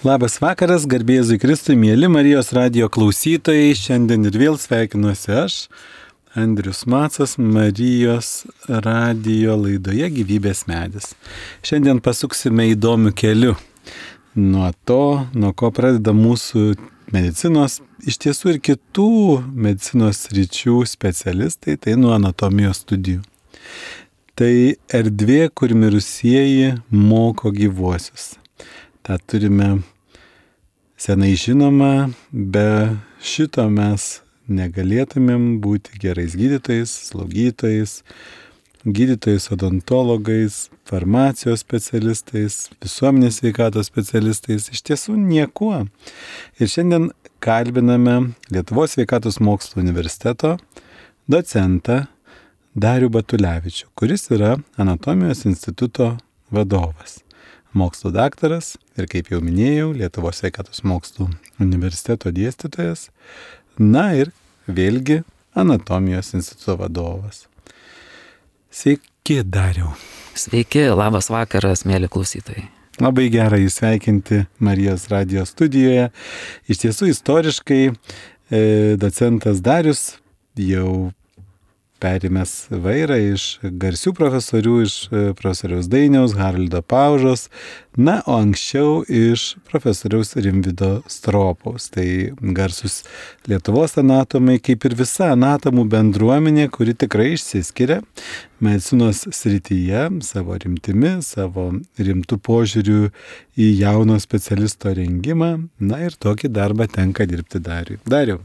Labas vakaras, garbė Jėzui Kristui, mėly Marijos radijo klausytojai. Šiandien ir vėl sveikinuosi aš, Andrius Macas, Marijos radijo laidoje Gyvybės medis. Šiandien pasuksime įdomiu keliu. Nuo to, nuo ko pradeda mūsų medicinos, iš tiesų ir kitų medicinos ryčių specialistai, tai nuo anatomijos studijų. Tai erdvė, kur mirusieji moko gyvuosius. tą turime senai žinoma, be šito mes negalėtumėm būti gerais gydytojais, slaugytojais, gydytojais, odontologais, farmacijos specialistais, visuomenės sveikatos specialistais, iš tiesų niekuo. Ir šiandien kalbiname Lietuvos sveikatos mokslų universiteto docentą Darių Batulevičių, kuris yra Anatomijos instituto vadovas, mokslo daktaras ir, kaip jau minėjau, Lietuvos sveikatos mokslų universiteto dėstytojas, na ir vėlgi Anatomijos instituto vadovas. Sveiki, Dariau. Sveiki, labas vakaras, mėly klausytojai. Labai gera Jūs sveikinti Marijos radijo studijoje. Iš tiesų, istoriškai docentas Darius jau perėmęs vairą iš garsių profesorių, iš profesoriaus Dainiaus, Haroldo Paužos, na, o anksčiau iš profesoriaus Rimvydo Stropaus. Tai garsus Lietuvos anatomai, kaip ir visa anatomų bendruomenė, kuri tikrai išsiskiria medicinos srityje savo rimtimi, savo rimtų požiūrių į jauno specialisto rengimą. Na ir tokį darbą tenka dirbti Dariui. Dariau,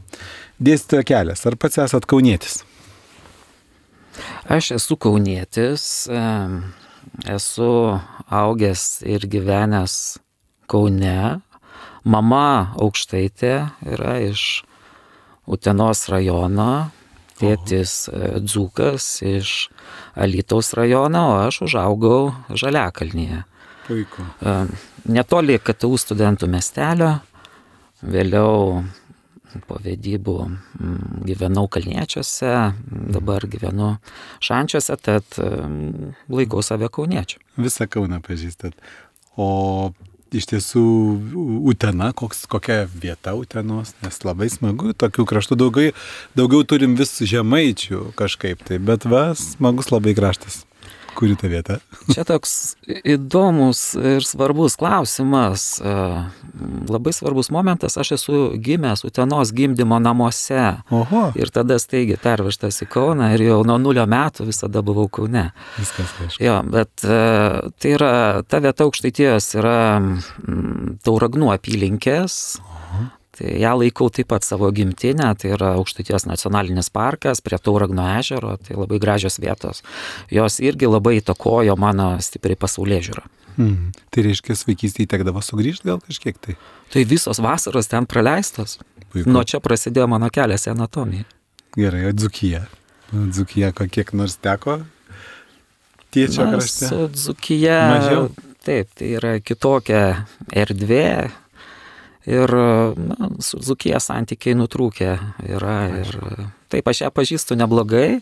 dėstytojo kelias, ar pats esat kaunietis? Aš esu kaunietis, esu augęs ir gyvenęs Kaune. Mama Aukštaitė yra iš Utenos rajono, tėtis dzūkas iš Alytaus rajono, o aš užaugau Žaliakalnyje. Puiku. Netoli KTU studentų miestelio, vėliau po vedybų gyvenau Kalniečiuose, dabar gyvenu Šančiuose, tad laikau save kauniečiu. Visą Kauną pažįstat. O iš tiesų Utena, kokia vieta Utenos, nes labai smagu, tokių kraštų daugiau turim vis žemaičių kažkaip tai, bet smagus labai kraštas. Kuri ta vieta? Čia toks įdomus ir svarbus klausimas, labai svarbus momentas. Aš esu gimęs Utenos gimdymo namuose. Oho. Ir tada staigiai pervežtas į Kauną ir jau nuo 0 metų visada buvau Kaune. Viskas aišku. Jo, bet tai yra, ta vieta Aukštaitijos yra Tauragnų apylinkės. Tai ją laikau taip pat savo gimtinę, tai yra Aukštaitijos nacionalinis parkas prie Tauragno ežero, tai labai gražios vietos. Jos irgi labai įtakojo mano stipriai pasaulėžiūrą. Tai reiškia, vaikystėje tekdavo sugrįžti gal kažkiek tai? Tai visos vasaros ten praleistos. Puiku. Nuo čia prasidėjo mano kelias į anatomiją. Gerai, o Dzūkija? Dzūkija kiek nors teko? Tėčio krašte? Su Dzūkija, mažiau? Taip, tai yra kitokia erdvė. Ir su Dzūkija santykiai nutrūkę yra. Ir taip, aš ją pažįstu neblogai,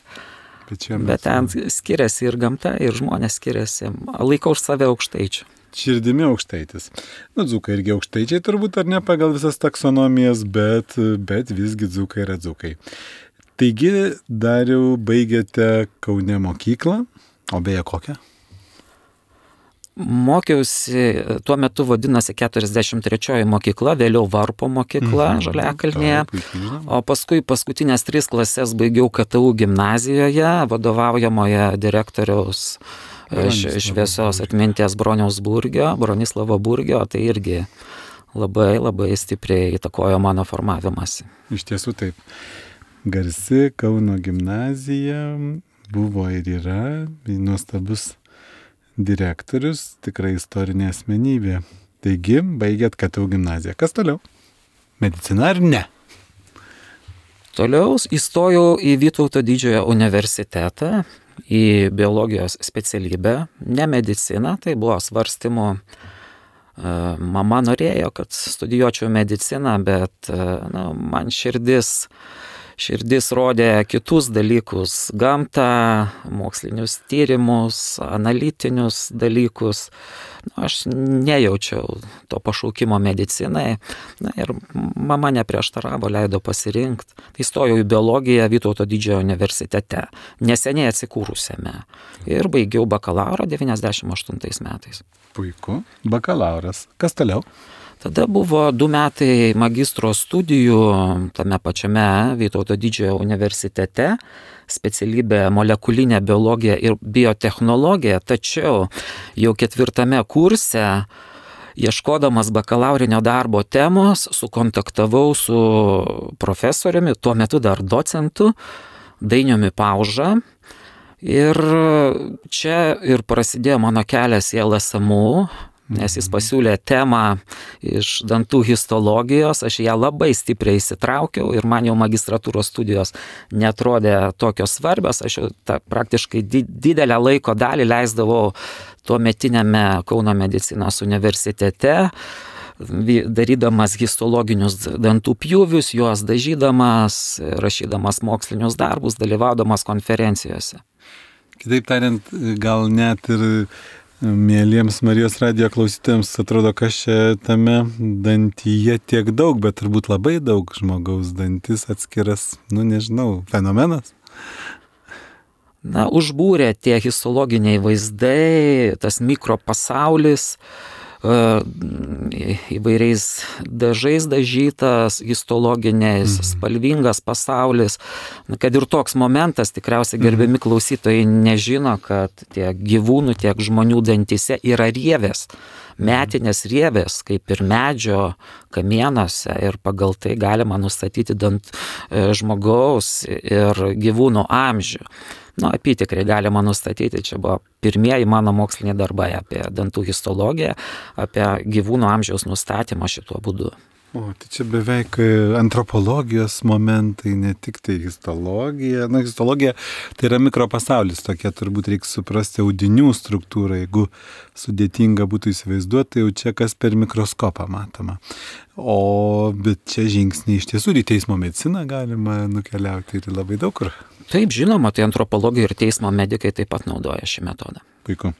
bet ten skiriasi ir gamta, ir žmonės skiriasi. Laikau už save aukštaičių. Širdimi aukštaitis. Dzūkai irgi aukštaičiai turbūt, ar ne pagal visas taksonomijas, bet visgi dzūkai yra dzūkai. Taigi, Dariau, baigėte Kaune mokyklą, o beje kokią? Mokiausi, tuo metu vadinasi 43 mokykla, vėliau Varpo mokykla Žaliakalnyje, o paskui paskutinės 3 klases baigiau KTU gimnazijoje, vadovaujamoje direktoriaus šviesios atminties Bronislavo Burgio, tai irgi labai, labai stipriai įtakojo mano formavimąsi. Iš tiesų taip. Garsi Kauno gimnazija buvo ir yra nuostabus direktorius, tikrai istorinė asmenybė. Taigi, baigėt KTU gimnaziją. Kas toliau? Medicina ar ne? Toliau įstojau į Vytauto didžiojo universitetą, į biologijos specialybę, ne mediciną, tai buvo svarstymų. Mama norėjo, kad studijuočiau mediciną, bet man širdis širdis rodė kitus dalykus - gamtą, mokslinius tyrimus, analitinius dalykus. Aš nejaučiau to pašaukimo medicinai. Na ir mama neprieštaravo, leido pasirinkti. Įstojau į biologiją Vytauto Didžiojo universitete, neseniai atsikūrusiame. Ir baigiau bakalaurą 98 metais. Puiku. Bakalauras. Kas toliau? Tada buvo 2 metai magistro studijų tame pačiame Vytauto Didžiojo universitete, specialybė molekulinė biologija ir biotechnologija, tačiau jau 4 kurse, ieškodamas bakalaurinio darbo temos, sukontaktavau su profesoriumi, tuo metu dar docentu, Dainiumi Pauža. Ir čia ir prasidėjo mano kelias į LSMU, nes jis pasiūlė temą iš dantų histologijos, aš ją labai stipriai įsitraukiau ir man jau magistratūros studijos netrodė tokios svarbios, aš jau praktiškai didelę laiko dalį leisdavau tuometiniame Kauno medicinos universitete, darydamas histologinius dantų pjūvius, juos dažydamas, rašydamas mokslinius darbus, dalyvaudamas konferencijose. Kitaip tariant, gal net ir mėliems Marijos radijo klausytojams atrodo, kas čia tame dantyje tiek daug, bet turbūt labai daug žmogaus dantis atskiras, nežinau, fenomenas. Na, užbūrė tie histologiniai vaizdai, tas mikropasaulis, įvairiais dažais dažytas, histologiniais, spalvingas pasaulis. Kad ir toks momentas, tikriausiai gerbiami klausytojai nežino, kad tiek gyvūnų, tiek žmonių dantyse yra rievės, metinės rievės, kaip ir medžio kamienuose, ir pagal tai galima nustatyti žmogaus ir gyvūnų amžių. Apytikriai galima nustatyti, čia buvo pirmieji mano moksliniai darbai apie dantų histologiją, apie gyvūnų amžiaus nustatymą šituo būdu. O, tai čia beveik antropologijos momentai, ne tik tai histologija. Histologija tai yra mikropasaulis, tokia turbūt reikia suprasti audinių struktūrą, jeigu sudėtinga būtų įsivaizduoti, tai jau čia kas per mikroskopą matoma. Bet čia žingsniai iš tiesų į teismo mediciną galima nukeliauti ir labai daug kur. Taip, žinoma, tai antropologai ir teismo medikai taip pat naudoja šį metodą. Puiku.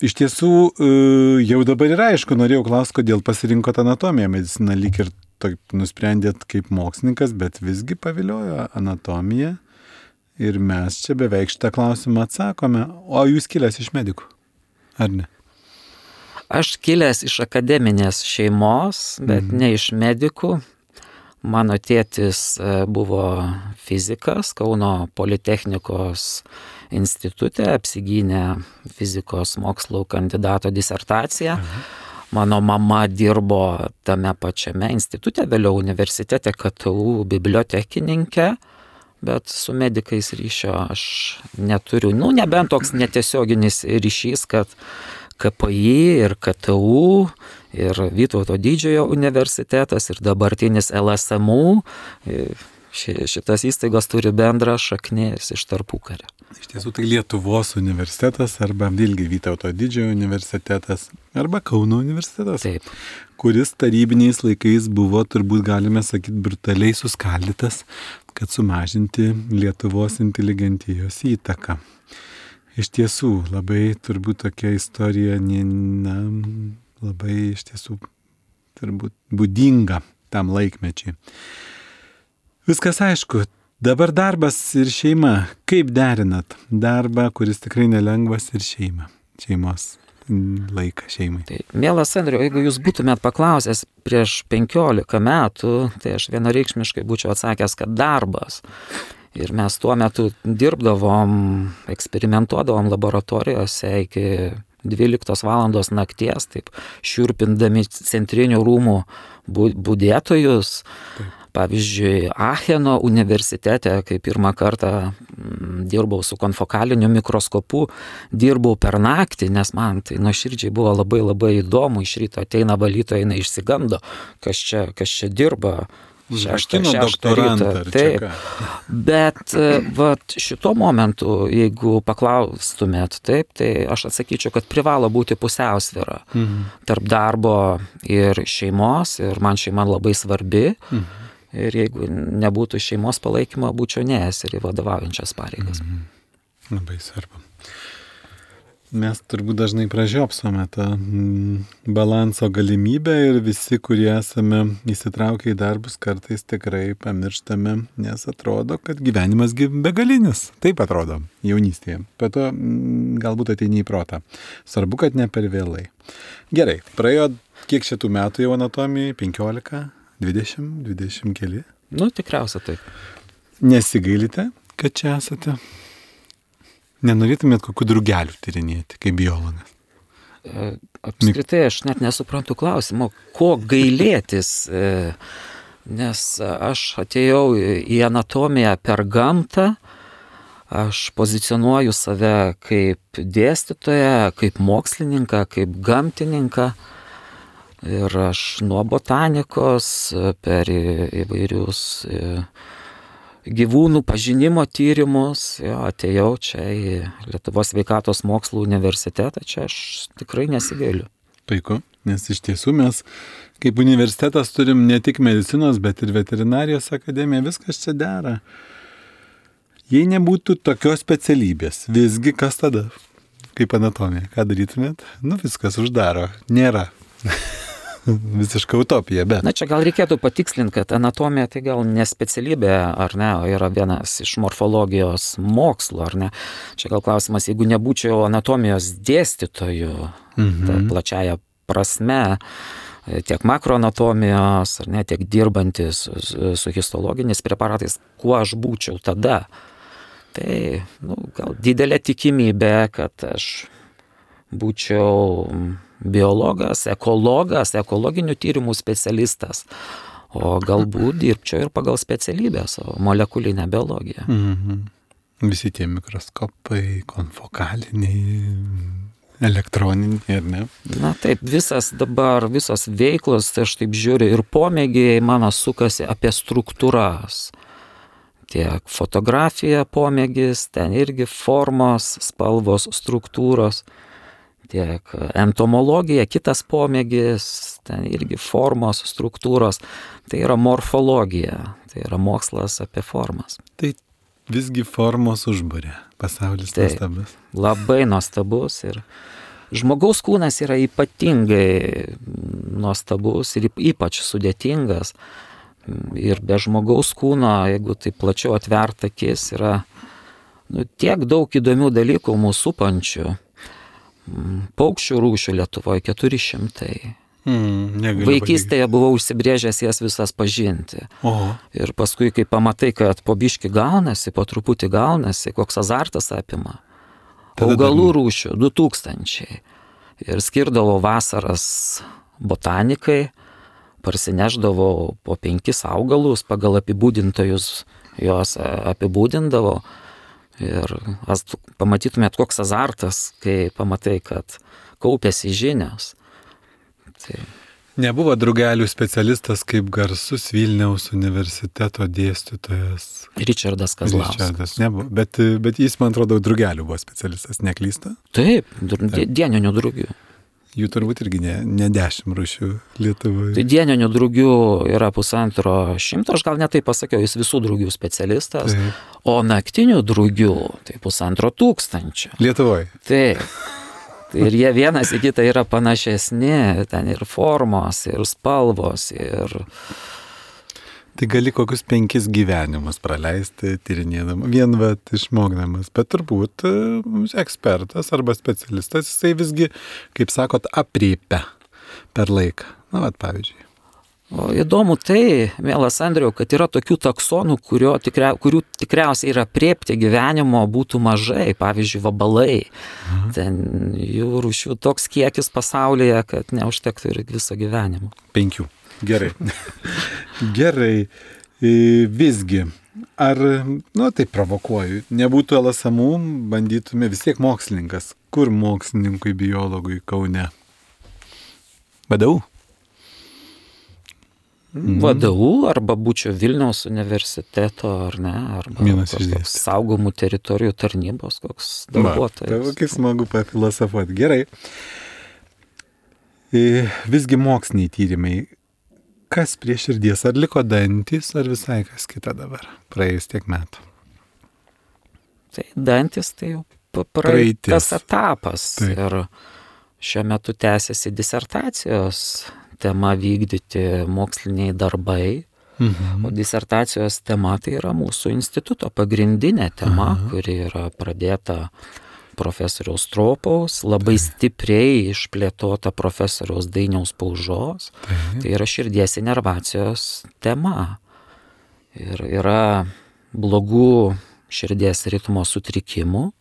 Iš tiesų, jau dabar yra aišku, norėjau klausti, kodėl pasirinkot anatomiją. Mediciną lyg ir taip nusprendėt kaip mokslininkas, bet visgi paviliojo anatomija. Ir mes čia beveik šitą klausimą atsakome. O jūs kilęs iš medikų, ar ne? Aš kilęs iš akademinės šeimos, bet ne iš medikų. Mano tėtis buvo fizikas Kauno Politechnikos institute, apsigynė fizikos mokslų kandidato disertaciją. Mano mama dirbo tame pačiame institute, vėliau universitete KTU bibliotekininkė, bet su medikais ryšio aš neturiu. Nebent toks netiesioginis ryšys, kad KPI ir KTU ir Vytauto Didžiojo universitetas ir dabartinis LSMU, šitas įstaigos turi bendrą šaknis iš tarpukario. Iš tiesų tai Lietuvos universitetas arba vėlgi Vytauto Didžiojo universitetas arba Kauno universitetas, taip, kuris tarybiniais laikais buvo, turbūt galime sakyti, brutaliai suskaldytas, kad sumažinti Lietuvos inteligentijos įtaką. Iš tiesų, labai turbūt tokia istorija, labai iš tiesų turbūt būdinga tam laikmečiai. Viskas aišku, dabar darbas ir šeima. Kaip derinat darbą, kuris tikrai nelengvas, ir šeimą, šeimos laiką šeimai? Tai, mielas Andriau, jeigu jūs būtumėt paklausęs prieš 15 metų, tai aš vienareikšmiškai būčiau atsakęs, kad darbas. Ir mes tuo metu dirbdavom, eksperimentuodavom laboratorijose iki 12 valandos nakties, taip šiurpindami centrinių rūmų budėtojus. Taip. Pavyzdžiui, Acheno universitete, kai pirmą kartą dirbau su konfokaliniu mikroskopu, dirbau per naktį, nes man tai nuoširdžiai buvo labai labai įdomu, iš ryto ateina valytoja, jinai išsigando, kas čia dirba. Šeštą rytą. Taip. Bet šituo momentu, jeigu paklaustumėt, taip, tai aš atsakyčiau, kad privalo būti pusiausvyra tarp darbo ir šeimos, ir man šeima labai svarbi. ir jeigu nebūtų šeimos palaikymo, būčiau neėjęs ir į vadovaujančias pareigas. Labai svarbu. Mes turbūt dažnai pražiopsome tą balanso galimybę ir visi, kurie esame įsitraukę į darbus, kartais tikrai pamirštame, nes atrodo, kad gyvenimas begalinis. Taip atrodo jaunystėje. Po to galbūt ateini į protą. Svarbu, kad ne per vėlai. Gerai, praėjo kiek šitų metų jau anatomijai? 15, 20, 20 keli? Nu, tikriausia taip. Nesigailite, kad čia esate? Nenorėtumėt kokių drugelių tyrinėti, kaip biologas? Apskritai, aš net nesuprantu klausimo, ko gailėtis, nes aš atėjau į anatomiją per gamtą, aš pozicionuoju save kaip dėstytoją, kaip mokslininką, kaip gamtininką ir aš nuo botanikos per įvairius gyvūnų pažinimo tyrimus, atėjau čia į Lietuvos sveikatos mokslų universitetą, čia aš tikrai nesigailiu. Puiku, nes iš tiesų mes kaip universitetas turim ne tik medicinos, bet ir veterinarijos akademiją, viskas čia dera. Jei nebūtų tokios specialybės, visgi kas tada? Kaip anatomija, ką darytumėt? Nu viskas uždaro, nėra. Visiška utopija, bet. Na čia gal reikėtų patikslinti, kad anatomija tai gal ne specialybė, ar ne, o yra vienas iš morfologijos mokslų, ar ne. Čia gal klausimas, jeigu nebūčiau anatomijos dėstytojų, ta plačiaja prasme, tiek makroanatomijos, ar ne, tiek dirbantis su histologiniais preparatais, kuo aš būčiau tada. Tai, gal didelė tikimybė, kad aš būčiau biologas, ekologas, ekologinių tyrimų specialistas, o galbūt dirbčiau ir pagal specialybę savo molekulinę biologiją. Visi tie mikroskopai, konfokaliniai, elektroniniai, ar ne? Na taip, visos veiklos, tai aš taip žiūriu, ir pomėgiai mano sukasi apie struktūras. Tiek fotografija pomėgis, ten irgi formos, spalvos, struktūros. Tiek entomologija, kitas pomėgis, ten irgi formos, struktūros, tai yra morfologija, tai yra mokslas apie formas. Tai visgi formos užbūrė, pasaulis nuostabus. Labai nuostabus ir žmogaus kūnas yra ypatingai nuostabus ir ypač sudėtingas. Ir be žmogaus kūno, jeigu tai plačiau atvert akis, yra tiek daug įdomių dalykų mūsų supančių. Paukščių rūšių Lietuvoje 400. Vaikystėje buvau užsibrėžęs jas visas pažinti. Ir paskui, kai pamatai, kad po biškį gaunasi, po truputį gaunasi, koks azartas apima. Augalų rūšių 2000. Ir skirdavau vasaras botanikai, parsineždavau po 5 augalus, pagal apibūdintojus juos apibūdindavau. Ir pamatytumėt, koks azartas, kai pamatai, kad kaupėsi žinios. Tai... Nebuvo drugelių specialistas kaip garsus Vilniaus universiteto dėstytojas. Richardas Kazlauskas. Nebuvo, bet jis, man atrodo, drugelių buvo specialistas, neklysta? Taip, dieninių drugių. Jų turbūt irgi ne 10 rūšių Lietuvoje. Tai dieninių drugių yra 150, aš gal netai pasakiau, jis visų drugių specialistas, o naktinių drugių tai 1500. Lietuvoje? Taip. Ir jie vienas į kitą yra panašesni, ten ir formos, ir spalvos, ir... Tai gali kokius 5 gyvenimus praleisti, tyrinėdamas, išmokdamas, bet turbūt ekspertas arba specialistas, jisai visgi, kaip sakot, apriepia per laiką. Na, pavyzdžiui. O įdomu tai, mielas Andriau, kad yra tokių taksonų, kurių tikriausiai yra apriepti gyvenimo būtų mažai, pavyzdžiui, vabalai. Ten jų rūšių toks kiekis pasaulyje, kad neužtektų ir viso gyvenimo. 5. Gerai. Gerai. Visgi, ar, tai provokuoju, nebūtų LSMU, bandytume vis tiek mokslininkas. Kur mokslininkui, biologui Kaune? VDU? VDU arba būčiau Vilniaus universiteto, ar ne, arba saugomų teritorijų tarnybos koks darbuotojas. Kaip smagu pafilosofuoti. Gerai. Visgi moksliniai tyrimai. kas prie širdies? Ar liko dantys, ar visai kas kita dabar, praėjus tiek metų? Tai dantys tai jau praeitas etapas. Taip. Ir šiuo metu tęsiasi disertacijos tema vykdyti moksliniai darbai. O disertacijos tema tai yra mūsų instituto pagrindinė tema, kuri yra pradėta profesoriaus Stropaus, labai stipriai išplėtota profesoriaus Dainiaus Paužos. Tai yra širdies inervacijos tema. Ir yra blogų širdies ritmo sutrikimų,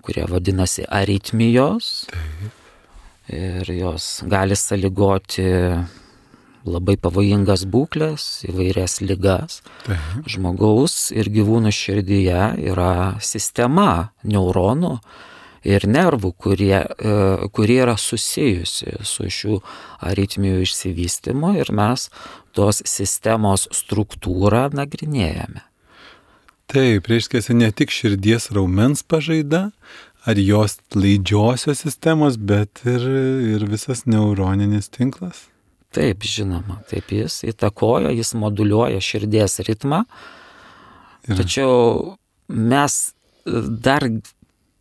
kurie vadinasi aritmijos. Ir jos gali sąlygoti labai pavojingas būklės, įvairias ligas. Žmogaus ir gyvūnų širdyje yra sistema neuronų ir nervų, kurie yra susijusi su šių aritmijų išsivystymu ir mes tos sistemos struktūrą nagrinėjame. Taip, reiškia ne tik širdies raumens pažaida, ar jos laidžiosios sistemos, bet ir visas neuroninis tinklas. Taip, žinoma, taip jis įtakoja, jis moduliuoja širdies ritmą, tačiau mes dar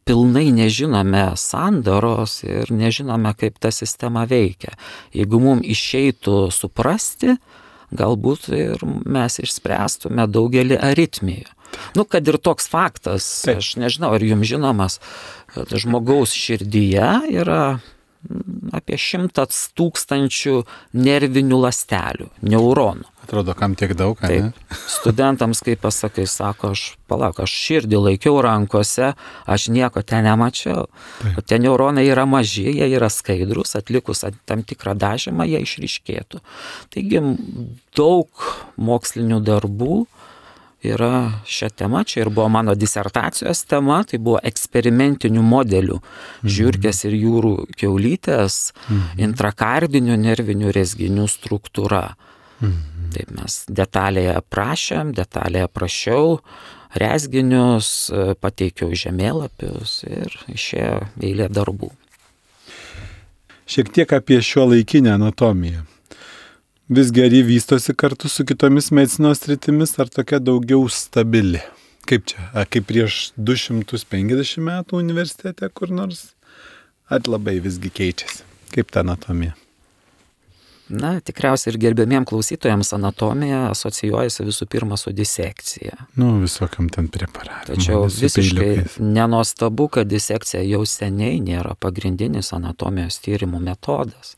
pilnai nežinome sandaros ir nežinome, kaip ta sistema veikia. Jeigu mums išeitų suprasti, galbūt ir mes išspręstume daugelį aritmijų. Kad ir toks faktas, aš nežinau, ar jums žinomas, kad žmogaus širdyje yra apie 100 000 nervinių ląstelių, neuronų. Atrodo, kam tiek daug, ne? Studentams, kai pasakai, sako, aš širdį laikiau rankose, aš nieko ten nemačiau. O tie neuronai yra maži, jie yra skaidrus, atlikus tam tikrą dažymą, jie išryškėtų. Taigi, daug mokslinių darbų yra šią temą, čia ir buvo mano disertacijos tema, tai buvo eksperimentinių modelių žiurkės ir jūrų kiaulytės intrakardinių nervinių rezginių struktūra. Taip mes detaliai aprašiau rezginius, pateikiau žemėlapius ir išėjo eilė darbų. Šiek tiek apie šiuolaikinę anatomiją. Vis geri vystosi kartu su kitomis medicinos sritimis, ar tokia daugiau stabili? Kaip čia? Kaip prieš 250 metų universitete kur nors? Ar labai visgi keičiasi? Kaip ta anatomija? Tikriausiai ir gerbiamiem klausytojams anatomija asocijuojasi visų pirma su disekcija. Visokiam ten preparatam. Tačiau visiškai nenuostabu, kad disekcija jau seniai nėra pagrindinis anatomijos tyrimų metodas.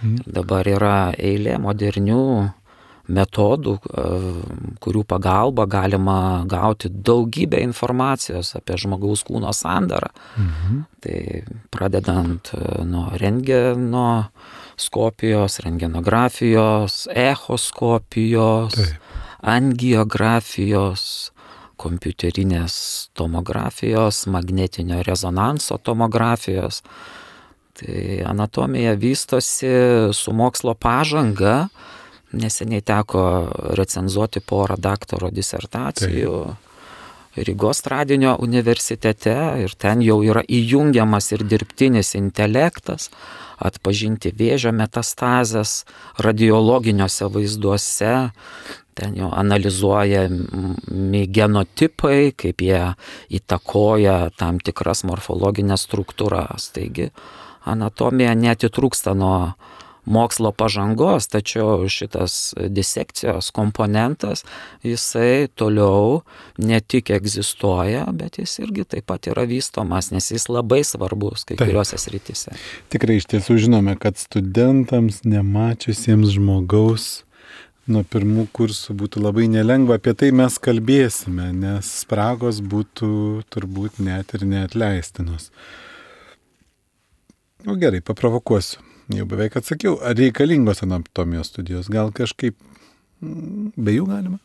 Dabar yra eilė modernių metodų, kurių pagalba galima gauti daugybę informacijos apie žmogaus kūno sandarą. Tai pradedant nuo rentgenoskopijos, rentgenografijos, echoskopijos, angiografijos, kompiuterinės tomografijos, magnetinio rezonanso tomografijos. Tai anatomija vystosi su mokslo pažanga. Neseniai teko recenzuoti porą daktaro disertacijų Rygos Radinio universitete ir ten jau yra įjungiamas ir dirbtinis intelektas, atpažinti vėžio metastazes radiologiniuose vaizduose. Ten jau analizuojami genotipai, kaip jie įtakoja tam tikras morfologinės struktūras. Taigi anatomija neatitrūksta nuo mokslo pažangos, tačiau šitas disekcijos komponentas, jisai toliau ne tik egzistuoja, bet jis irgi taip pat yra vystomas, nes jis labai svarbus kai kuriuose srityse. Tikrai iš tiesų žinome, kad studentams nemačiusiems žmogaus nuo pirmų kursų būtų labai nelengva, apie tai mes kalbėsime, nes spragos būtų turbūt net ir neatleistinos. Gerai, paprovokuosiu. Jau beveik atsakiau. Ar reikalingos anatomijos studijos? Gal kažkaip be jų galima?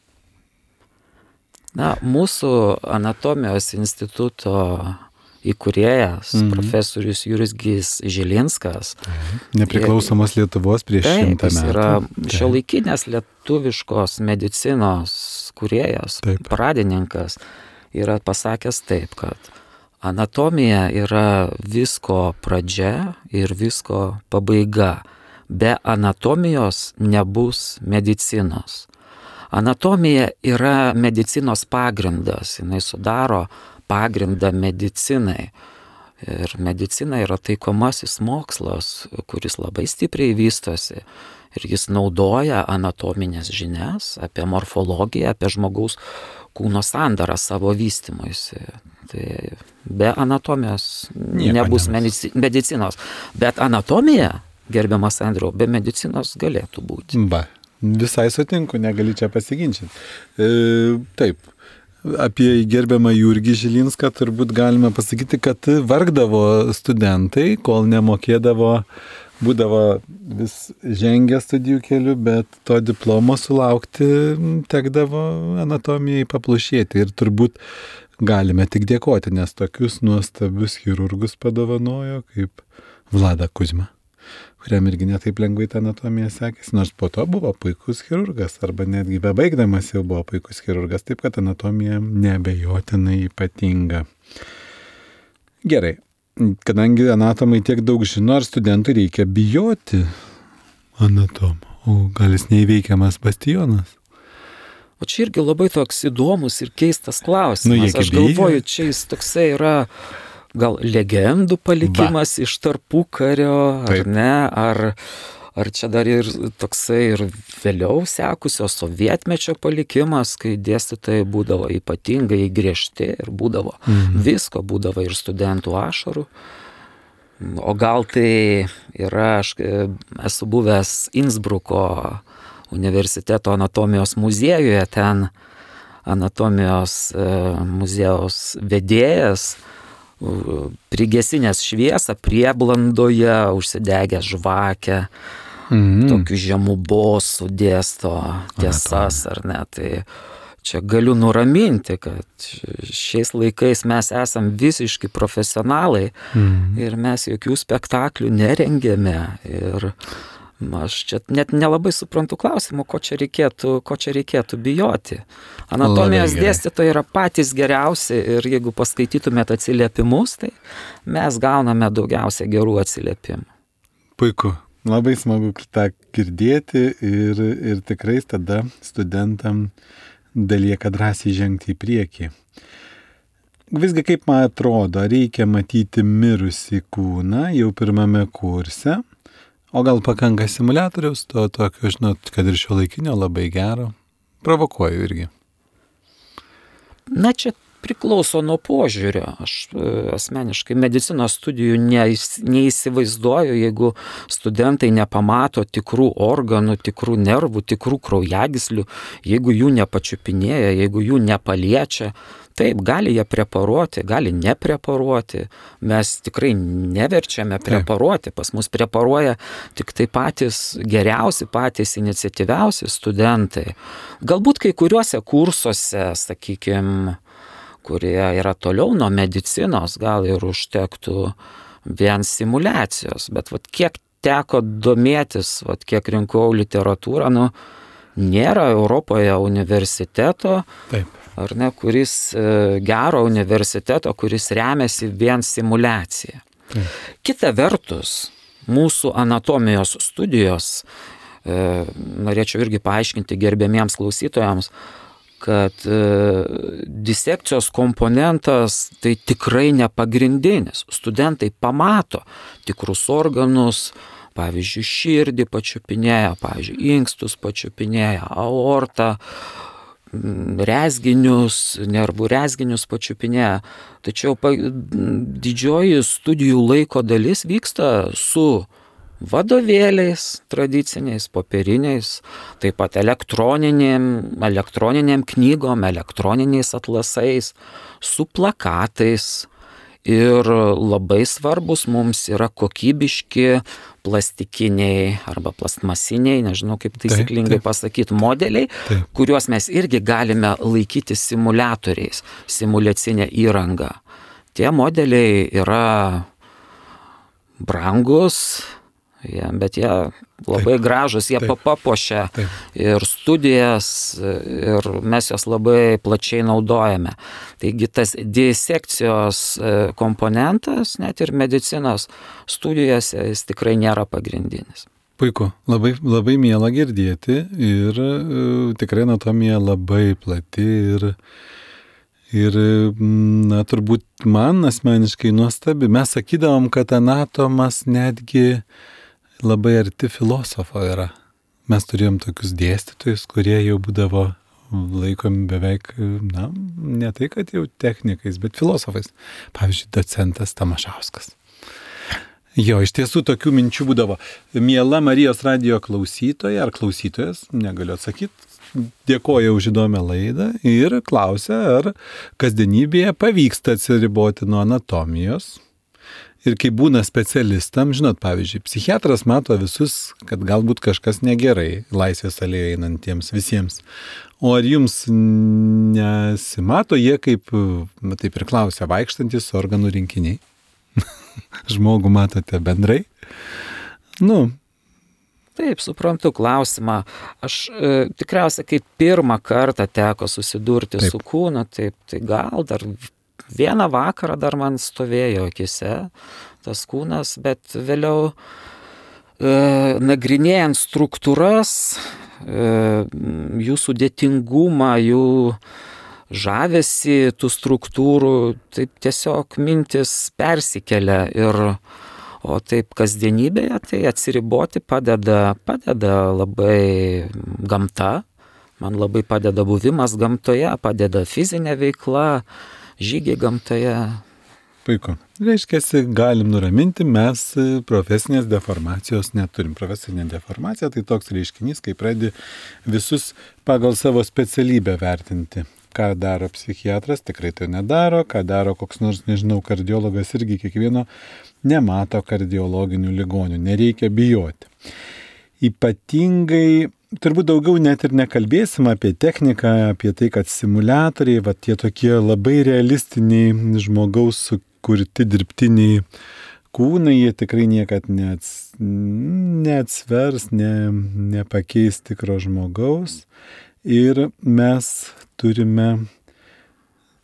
Mūsų anatomijos instituto įkūrėjas, profesorius Jurgis Žilinskas. Nepriklausomos Lietuvos prieš 100 metų. Jis yra šiuolaikinės lietuviškos medicinos kūrėjas, pradininkas. Yra pasakęs taip, kad anatomija yra visko pradžia ir visko pabaiga. be anatomijos nebus medicinos. Anatomija yra medicinos pagrindas, jinai sudaro pagrindą medicinai. Ir medicina yra taikomasis mokslas, kuris labai stipriai vystosi. Ir jis naudoja anatominės žinias apie morfologiją, apie žmogaus kūno sandarą savo vystymuisi. Tai be anatomijos nebus medicinos. Bet anatomija, gerbiamas Andriau, be medicinos galėtų būti. Visai sutinku, negali čia pasiginčyti. Taip. Apie gerbiamą Jurgį Žilinską turbūt galime pasakyti, kad vargdavo studentai, kol nemokėdavo, būdavo vis žengę studijų keliu, bet to diplomo sulaukti tekdavo anatomijai paplušėti. Ir turbūt galime tik dėkoti, nes tokius nuostabius chirurgus padovanojo kaip Vladą Kuzmą, kuriam irgi netaip lengvai tą anatomiją sekėsi, nors po to buvo puikus chirurgas, arba netgi bebaigdamas jau buvo puikus chirurgas, taip kad anatomija neabejotinai ypatinga. Gerai, kadangi anatomai tiek daug žino, ar studentui reikia bijoti anatomą, o gal jis neįveikiamas bastionas? O čia irgi labai toks įdomus ir keistas klausimas. Aš galvoju, čia jis toksai yra gal legendų palikimas iš tarpukario, ar ne, ar čia dar ir toksai ir vėliau sekusio sovietmečio palikimas, kai dėstytojai būdavo ypatingai griežti ir būdavo visko, būdavo ir studentų ašarų. O gal tai yra, aš esu buvęs Innsbruko universiteto anatomijos muziejuje, ten anatomijos muziejaus vedėjas, prigesinęs šviesą, prieblandoje, užsidegęs žvakę, tokiu žemų bosų dėsto tiesas, ar ne. Tai čia galiu nuraminti, kad šiais laikais mes esam visiški profesionalai ir mes jokių spektaklių nerengėme. Ir aš čia net nelabai suprantu klausimą, ko čia reikėtų bijoti. Anatomijos dėstytojai yra patys geriausi ir jeigu paskaitytumėt atsiliepimus, tai mes gauname daugiausia gerų atsiliepimų. Puiku, labai smagu tą girdėti ir tikrai tada studentam belieka drąsiai žengti į priekį. Visgi, kaip man atrodo, reikia matyti mirusį kūną jau pirmame kurse. O gal pakanka simuliatoriaus, to tokio, žinot, kad ir šiuolaikinio labai gero. Provokuoju irgi. Na, čia priklauso nuo požiūrio. Aš asmeniškai medicinos studijų neįsivaizduoju, jeigu studentai nepamato tikrų organų, tikrų nervų, tikrų kraujagyslių, jeigu jų nepačiupinėja, jeigu jų nepaliečia. Taip, gali jie preparuoti, gali nepreparuoti. Mes tikrai neverčiame preparuoti. Pas mus preparuoja tik tai patys geriausi, patys iniciatyviausi studentai. Galbūt kai kuriuose kursuose, sakykime, kurie yra toliau nuo medicinos, gal ir užtektų vien simuliacijos. Bet kiek teko domėtis, kiek rinkau literatūrą, nėra Europoje universiteto, ar ne, kuris gero universiteto, kuris remiasi vien simuliacija. Kita vertus, mūsų anatomijos studijos, norėčiau irgi paaiškinti gerbiamiems klausytojams, kad disekcijos komponentas tai tikrai nepagrindinis. Studentai pamato tikrus organus, pavyzdžiui, širdį pačiupinėja, pavyzdžiui, inkstus pačiupinėja, aortą, rezginius, nervų rezginius pačiupinėja. Tačiau didžioji studijų laiko dalis vyksta su vadovėliais tradiciniais, popieriniais, taip pat elektroniniam knygom, elektroniniais atlasais, su plakatais. Ir labai svarbus mums yra kokybiški plastikiniai arba plastmasiniai, nežinau kaip taisyklingai pasakyti, modeliai, kuriuos mes irgi galime laikyti simuliatoriais, simuliacinė įranga. Tie modeliai yra brangus, bet jie labai gražus, jie papuošia ir studijas, ir mes jas labai plačiai naudojame. Taigi tas disekcijos komponentas, net ir medicinos studijose, jis tikrai nėra pagrindinis. Puiku, labai, labai miela girdėti ir tikrai anatomija labai plati ir na, turbūt man asmeniškai nuostabi. Mes sakydavom, kad anatomas netgi labai arti filosofo yra. Mes turėjom tokius dėstytojus, kurie jau būdavo laikomi beveik, na, ne tai, kad jau technikais, bet filosofais. Pavyzdžiui, docentas Tamašauskas. Jo, iš tiesų tokių minčių būdavo. Miela Marijos radijo klausytoja ar klausytojas, negaliu atsakyti, dėkoja už įdomią laidą ir klausia, ar kasdienybėje pavyksta atsiriboti nuo anatomijos. Ir kai būna specialistam, žinot, pavyzdžiui, psichiatras mato visus, kad galbūt kažkas negerai Laisvės alėjoje einantiems visiems. O ar jums nesimato jie kaip, taip ir klausia, vaikštantis organų rinkiniai? Žmogų matote bendrai? Nu. Taip, suprantu klausimą. Aš tikriausiai, kai pirmą kartą teko susidurti su kūnu, tai gal dar vieną vakarą dar man stovėjo akise tas kūnas, bet vėliau nagrinėjant struktūras, jų sudėtingumą, jų žavesi tų struktūrų, taip tiesiog mintis persikelia o taip kasdienybėje tai atsiriboti padeda labai gamta, man labai padeda buvimas gamtoje, padeda fizinė veikla, žygiai gamtoje. Puiku. Reiškia, galim nuraminti, mes profesinės deformacijos neturim. Profesinė deformacija tai toks reiškinys, kai pradedi visus pagal savo specialybę vertinti. Ką daro psichiatras, tikrai tai nedaro, ką daro koks nors, nežinau, kardiologas, irgi kiekvieno nemato kardiologinių ligonių, nereikia bijoti. Ypatingai, turbūt daugiau net ir nekalbėsim apie techniką, apie tai, kad simuliatoriai, va tie tokie labai realistiniai žmogaus sukurti dirbtiniai kūnai, jie tikrai niekad neatsvers, nepakeis tikro žmogaus. Ir mes turime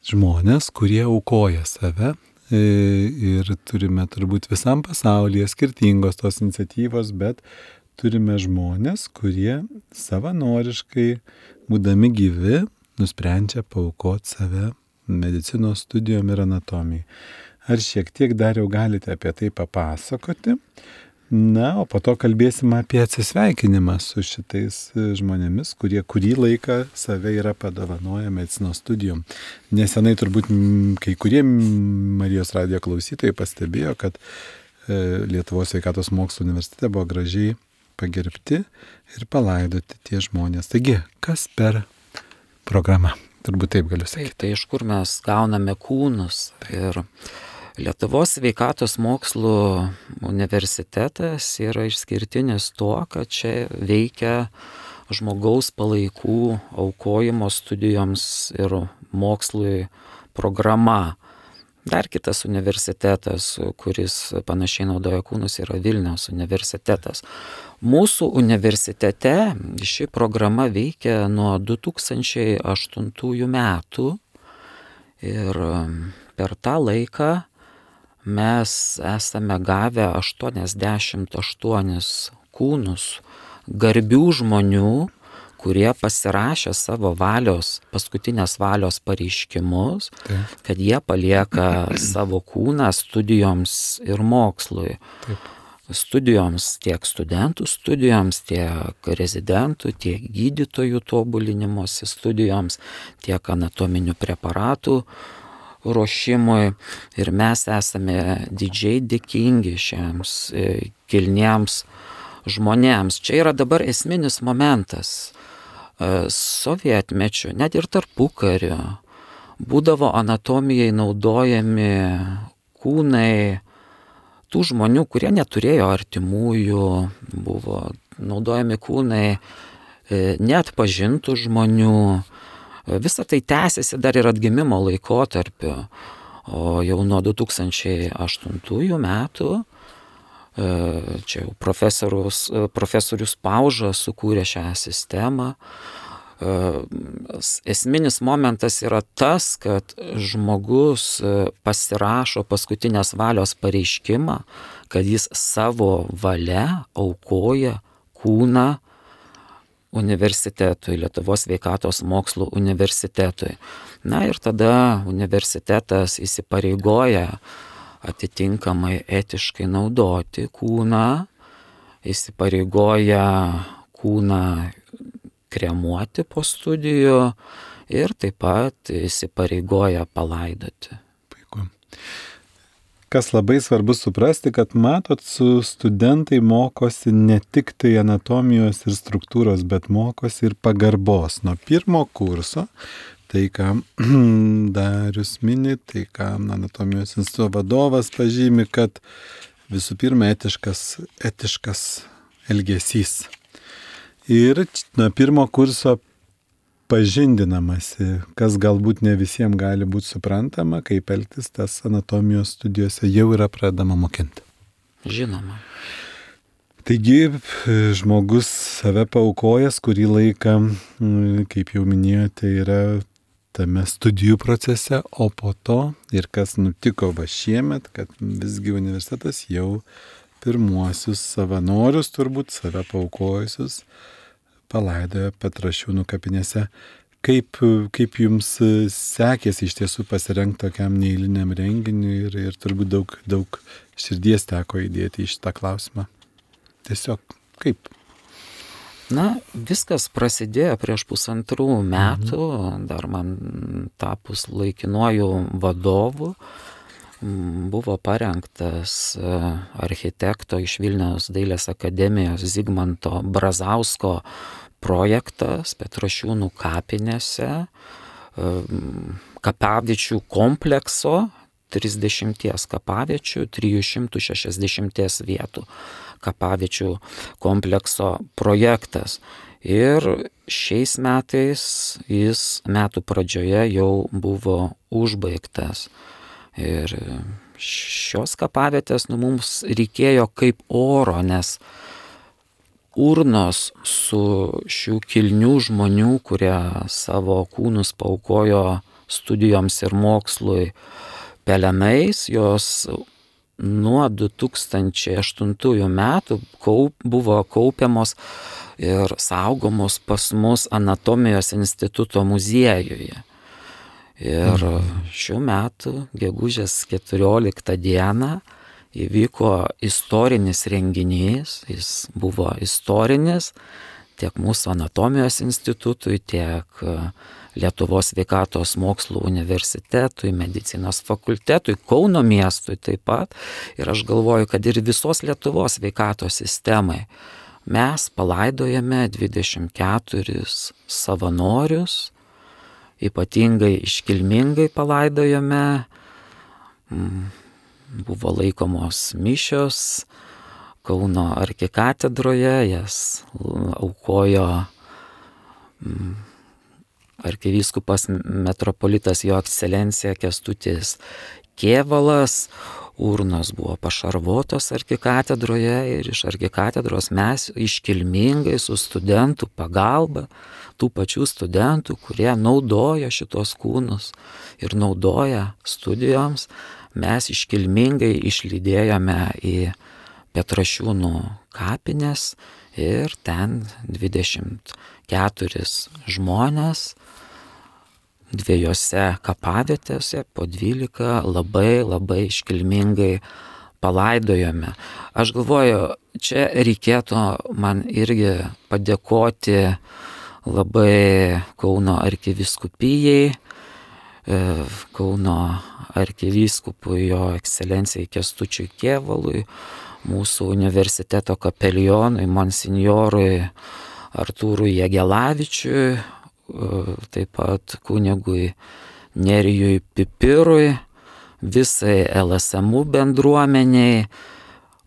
žmonės, kurie aukoja save ir turime turbūt visam pasaulyje skirtingos tos iniciatyvos, bet turime žmonės, kurie savanoriškai, būdami gyvi, nusprendžia paaukoti save medicinos studijom ir anatomijai. Ar šiek tiek dar jau galite apie tai papasakoti? Na, o po to kalbėsime apie atsisveikinimą su šitais žmonėmis, kurie kurį laiką save yra padovanoję medicinos studijom. Nesenai turbūt kai kurie Marijos radijo klausytojai pastebėjo, kad Lietuvos sveikatos mokslų universitete buvo gražiai pagerbti ir palaidoti tie žmonės. Taigi, kas per programą? Turbūt taip galiu sakyti. Tai iš kur mes gauname kūnus ir Lietuvos sveikatos mokslų universitetas yra išskirtinis tuo, kad čia veikia žmogaus palaikų aukojimo studijoms ir mokslui programa. Dar kitas universitetas, kuris panašiai naudoja kūnus, yra Vilniaus universitetas. Mūsų universitete ši programa veikia nuo 2008 metų ir per tą laiką mes esame gavę 88 kūnus garbių žmonių, kurie pasirašė savo paskutinės valios pareiškimus, kad jie palieka savo kūną studijoms ir mokslui. Taip. Studijoms, tiek studentų studijoms, tiek rezidentų, tiek gydytojų tobulinimosi studijoms, tiek anatominių preparatų ruošimui. Ir mes esame didžiai dėkingi šiems kilniems žmonėms. Čia yra dabar esminis momentas. Sovietmečiu, net ir tarpukariu, būdavo anatomijai naudojami kūnai tų žmonių, kurie neturėjo artimųjų, buvo naudojami kūnai neatpažintų žmonių. Visa tai tęsiasi dar ir atgimimo laikotarpiu, o jau nuo 2008 metų čia jau profesorius Pauža sukūrė šią sistemą, esminis momentas yra tas, kad žmogus pasirašo paskutinės valios pareiškimą, kad jis savo valia aukoja kūną universitetui, Lietuvos sveikatos mokslų universitetui. Na ir tada universitetas įsipareigoja atitinkamai etiškai naudoti kūną, įsipareigoja kūną kremuoti po studijų ir taip pat įsipareigoja palaidoti. Puiku. Kas labai svarbu suprasti, kad matot, su studentai mokosi ne tik tai anatomijos ir struktūros, bet mokosi ir pagarbos. Nuo pirmo kurso, tai ką Darius mini, tai ką anatomijos instituto vadovas pažymi, kad visų pirma etiškas elgesys. Ir nuo pirmo kurso pažindinamasi, kas galbūt ne visiems gali būti suprantama, kaip elgtis, tas anatomijos studijose jau yra pradama mokinti. Žinoma. Taigi žmogus save paaukojęs kurį laiką, kaip jau minėjote, yra tame studijų procese, o po to ir kas nutiko va šiemet, kad visgi universitetas jau pirmuosius savanorius, turbūt save paaukojusius, palaidojo Petrašiūnų kapinėse. Kaip jums sekėsi iš tiesų pasirengti tokiam neeiliniam renginiui ir turbūt daug širdies teko įdėti į šitą klausimą? Tiesiog kaip? Na, viskas prasidėjo prieš 1,5 metų, dar man tapus laikinuoju vadovu. Buvo parengtas architekto iš Vilniaus dailės akademijos Zigmanto Brazausko projektas Petrašiūnų kapinėse, kapaviečių komplekso, 30 kapaviečių, 360 vietų kapaviečių komplekso projektas. Ir šiais metais jis metų pradžioje jau buvo užbaigtas. Ir šios kapavietės mums reikėjo kaip oro, nes urnos su šių kilnių žmonių, kurie savo kūnus paaukojo studijoms ir mokslui pelenais, jos nuo 2008 metų buvo kaupiamos ir saugomos pas mus Anatomijos instituto muziejuje. Ir šių metų gegužės 14 dieną įvyko istorinis renginys, jis buvo istorinis tiek mūsų Anatomijos institutui, tiek Lietuvos sveikatos mokslų universitetui, medicinos fakultetui, Kauno miestui taip pat. Ir aš galvoju, kad ir visos Lietuvos sveikatos sistemai mes palaidojame 24 savanorius, ypatingai iškilmingai palaidojame, buvo laikomos mišios Kauno arkikatedroje, jas aukojo arkivyskupas metropolitas jo ekscelencija Kęstutis Kėvalas, urnos buvo pašarvotos arkikatedroje ir iš arkikatedros mes iškilmingai su studentų pagalba, tų pačių studentų, kurie naudoja šitos kūnus ir naudoja studijoms, mes iškilmingai išlydėjome į Petrašiūnų kapines ir ten 24 žmonės, 2 kapavietėse po 12 labai iškilmingai palaidojome. Aš galvoju, čia reikėtų man irgi padėkoti labai Kauno arkivyskupijai, Kauno arkivyskupui jo ekscelencijai Kęstučiui Kėvalui, mūsų universiteto kapelionui, monsinjorui Artūrui Jagelavičiui, taip pat kunigui Nerijui Pipirui, visai LSMU bendruomeniai,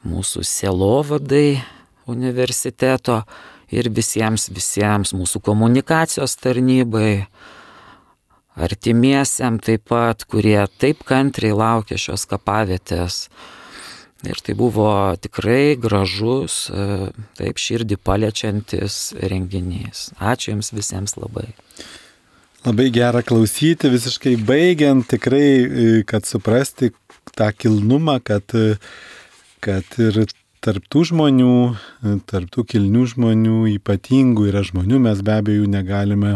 mūsų sielovadai universiteto ir visiems mūsų komunikacijos tarnybai, artimiesiam taip pat, kurie taip kantriai laukia šios kapavietės. Ir tai buvo tikrai gražus, taip širdį paliečiantis renginys. Ačiū Jums visiems labai. Labai gera klausyti, visiškai baigiant, tikrai, kad suprasti tą kilnumą, kad ir tarptų žmonių, tarptų kilnių žmonių, ypatingų yra žmonių, mes be abejo jų negalime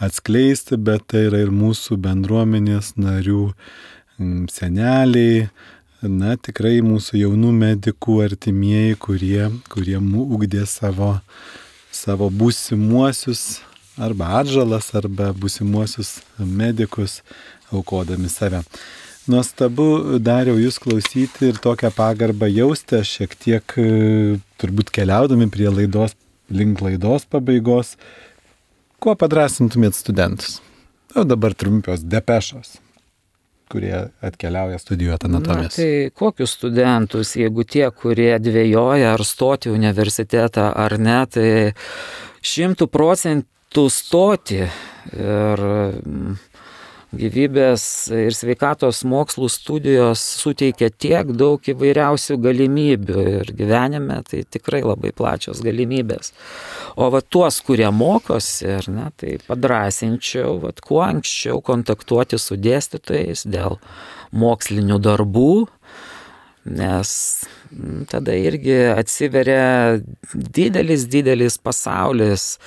atskleisti, bet tai yra ir mūsų bendruomenės narių seneliai, tikrai mūsų jaunų medikų artimieji, kurie ugdė savo būsimuosius arba atžalas, arba būsimuosius medikus, aukodami save. Nuostabu, Dariau, jūs klausyti ir tokią pagarbą jausti, šiek tiek turbūt keliaudami link laidos pabaigos. Kuo padrąsintumėt studentus? O dabar trumpios depešos, kurie atkeliauja studijuoti anatomijos. Tai kokius studentus, jeigu tie, kurie dvejoja ar stoti į universitetą ar ne, tai 100% stoti ir gyvybės ir sveikatos mokslų studijos suteikia tiek daug įvairiausių galimybių ir gyvenime tai tikrai labai plačios galimybės. O tuos, kurie mokosi, tai padrąsinčiau, kuo anksčiau kontaktuoti su dėstytojais dėl mokslinių darbų, nes tada irgi atsiveria didelis pasaulis,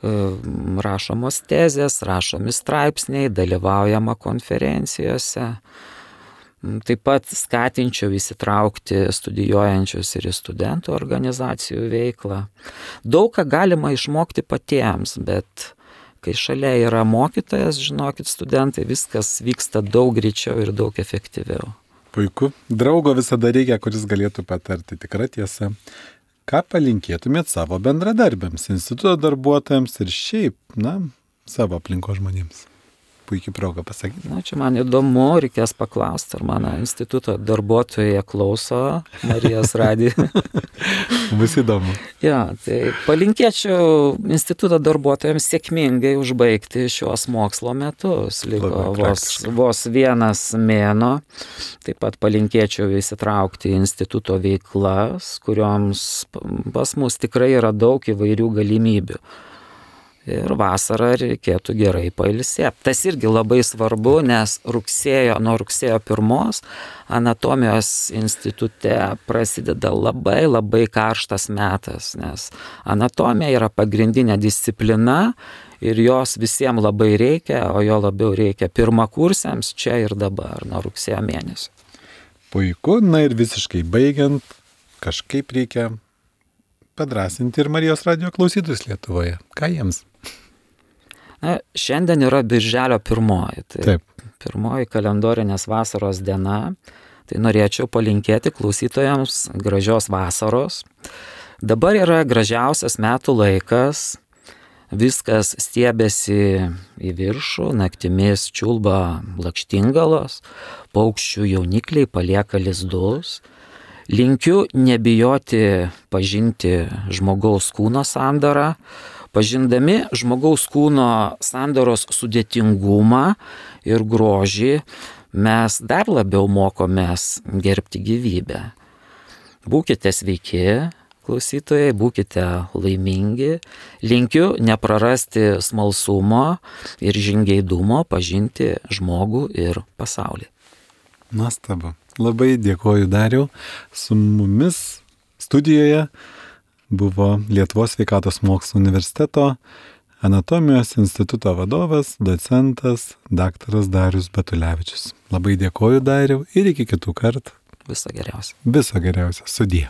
rašomos tezės, rašomi straipsniai, dalyvaujama konferencijose. Taip pat skatinčiau įsitraukti studijuojančius ir į studentų organizacijų veiklą. Daug ką galima išmokti patiems, bet kai šalia yra mokytojas, žinokit, studentai, viskas vyksta daug greičiau ir daug efektyviau. Puiku. Draugo visada reikia, kuris galėtų patarti, tikra tiesa. Ką palinkėtumėt savo bendradarbiams, instituto darbuotojams ir šiaip, savo aplinkos žmonėms? Puikiai proga pasakyti. Čia man įdomu, reikės paklausti, ar mano instituto darbuotojai klauso Marijos radijo. Bus įdomu. Tai palinkėčiau instituto darbuotojams sėkmingai užbaigti šios mokslo metus. Liko vos vienas mėnuo. Taip pat palinkėčiau įsitraukti į instituto veiklas, kurioms pas mus tikrai yra daug įvairių galimybių. Ir vasarą reikėtų gerai pailsėti. Tas irgi labai svarbu, nes nuo rugsėjo 1 anatomijos institute prasideda labai karštas metas, nes anatomija yra pagrindinė disciplina ir jos visiems labai reikia, o jo labiau reikia pirmakursiams čia ir dabar, nuo rugsėjo mėnesio. Puiku, ir visiškai baigiant, kažkaip reikia padrąsinti ir Marijos radijo klausytojus Lietuvoje. Ką jiems? Šiandien yra birželio 1. Taip. Pirmoji kalendorinės vasaros diena. Tai norėčiau palinkėti klausytojams gražios vasaros. Dabar yra gražiausias metų laikas. Viskas stiebiasi į viršų, naktimis čiulba lakštingalos, paukščių jaunikliai palieka lizdus. Linkiu nebijoti pažinti žmogaus kūno sandarą. Pažindami žmogaus kūno sandaros sudėtingumą ir grožį, mes dar labiau mokomės gerbti gyvybę. Būkite sveiki, klausytojai, būkite laimingi. Linkiu neprarasti smalsumo ir žingeidumo pažinti žmogų ir pasaulį. Nuostabu. Labai dėkoju, Dariau. Su mumis studijoje buvo Lietuvos sveikatos mokslų universiteto anatomijos instituto vadovas, docentas, daktaras Darius Batulevičius. Labai dėkoju, Dariau, ir iki kitų kartų. Viso geriausio. Viso geriausio. Sudie.